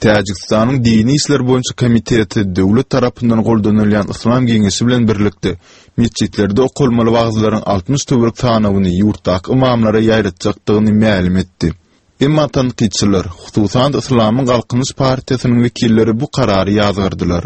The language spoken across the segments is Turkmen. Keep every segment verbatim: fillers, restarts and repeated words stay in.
Täjigistanyň Dini işler boýunça komiteti döwlet tarapyndan goldanylýan Yslam geňeşi bilen birlikde metjitlerde okalmaly wagyzlaryň altmyş töwerek sanawyny ýurtdaky ymamlara ýaýratjakdygyny mälim etdi. Emma tankytçylar, hususan-da Yslamyň Galkynyş partiýasynyň wekilleri bu karary ýazgardylar.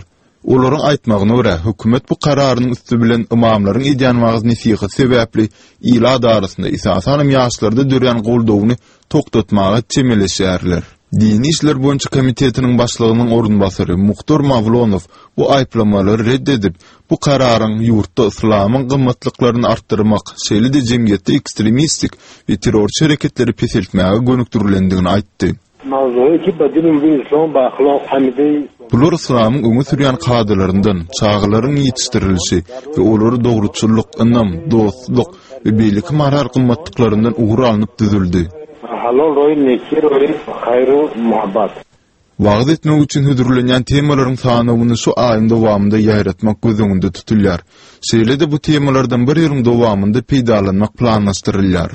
Olaryň aýtmagyna görä, hökümet bu kararynyň üsti bilen ymamlaryň edýän wagyz-nesihaty sebäpli ilat arasynda, esasanam ýaşlarda dörän goldawyny togtatmaga çemeleşýärler. Dini işler boýunça komitetiniň başlygynyň orunbasary Muhtar Mawlonow bu aýyplamalary ret edip, bu kararyň ýurtda yslamyň gymmatlyklaryny artdyrmak, şeýle-de jemgyýetde ekstremistik we terrorçy hereketleri peseltmäge gönükdirilendigini aýtdy. Bular yslamyň öňe sürýän kadalaryndan, çagalaryň ýetişdirilişi we olary dogruçyllyk, ynam, dostluk we beýleki moral gymmatlyklaryndan ugur alnyp düzüldi. Wagyz etmek üçin hödürlenýän temalaryň sanawyny şu aýyň dowamynda ýaýratmak göz öňünde tutulýar. Şeýle-de bu temalardan bir ýylyň dowamynda peýdalanmak planlaşdyrylýar.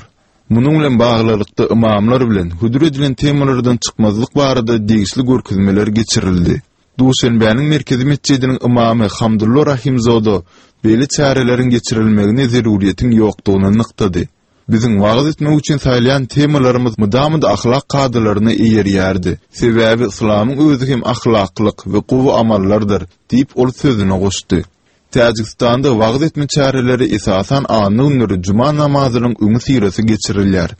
Munuň bilen baglylykda ymamlar bilen hödür edilen temalardan çykmazlyk barada degişli görkezmeler geçirildi. Duşenbäniň merkezi metjidiniň ymamy Hamdullo Rahimzoda beýle çäreleriň geçirilmegine zerurýetiň ýokdugyny nygtady. Biziň wagyz etmek üçin saýlaýan temalarymyz mydama-da ahlak kadalaryna eýerýärdi. Sebäbi yslamyň özi hem ahlaklyk we gowy amallardyr, diýip, ol sözüne goşdy. Täjigistanda wagyz etme çäreleri esasan anna günleri juma namazynyň öňüsyrasy geçirilýär.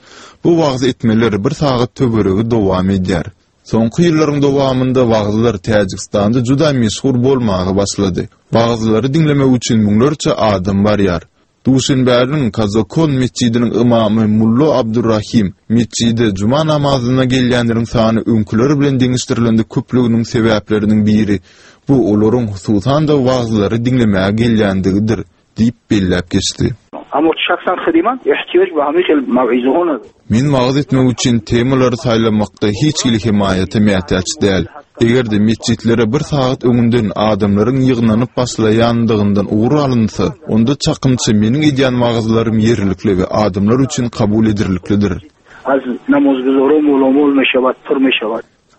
Bu wagyz etmeler bir sagat töweregi dowam edýär. Soňky ýyllaryň dowamynda wagyzlar Täjigistanda juda meşhur bolmaga başlady. Wagyzlary diňlemek üçin müňlerçe adam barýar. Duşenbäniň Kazokon metjidiniň ymamy Mullo Abdurrahim metjide juma namazyna gelýänleriň sany öňküler bilen deňeşdirilende köplüginiň sebäpleriniň biri bu olaryň hususan-da wagyzlary diňlemäge gelýändigidir diýip belläp geçdi. Men wagyz etmek üçin temalary saýlamakda hiç hili hemaýata mätäç däl. Eger-de metjitlere bir sagat öňünden adamlaryň ýygnanyp başlaýandygyndan ugur alynsa, onda çakymça meniň edýän wagyzlarym ýerlikli we adamlar üçin kabul ederliklidir.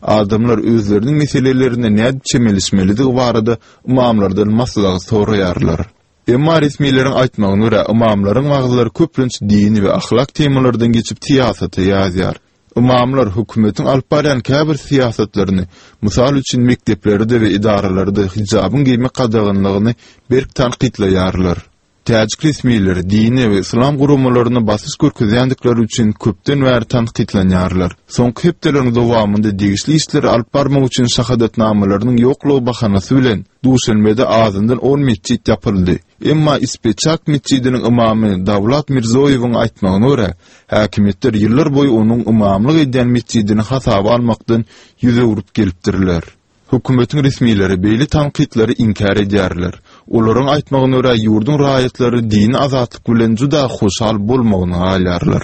Adamlar özleriniň meselelerine nädip çemeleşmelidigi barada ymamlardan maslahat soraýarlar. Emma resmileriň aýtmagyna görä, ymamlaryň wagyzlary köplenç dini we ahlak temalardan geçip syýasata ýazýar. Ymamlar hökümetiň alyp barýan käbir syýasatlaryny, mysal üçin mekdeplerde we edaralarda hijabyň geýmek gadaganlygyny berk tankytlaýarlar. Täjik resmileri dine we yslam guramalaryna basyş görkezýändikleri üçin köpden bäri tankytlanýarlar. Soňky hepdeleriň dowamynda degişli işleri alyp barmak üçin şahadatnamalarynyň ýoklugy bahanasy bilen Duşenbede azyndan on metjit ýapyldy. Emma Ispeçak metjidiniň ymamy Dawlat Mirzoýewiň aýtmagyna görä, häkimiýetler ýyllar boýy onuň ymamlyk edýän metjidini hasaba almakdan ýüz öwrüp gelipdirler. Hökümetiň resmileri beýle tankytlary inkär edýärler. Olaryň aýtmagyna görä, ýurduň raýatlary dini azatlyk bilen juda hoşal bolmagyna galýarlar.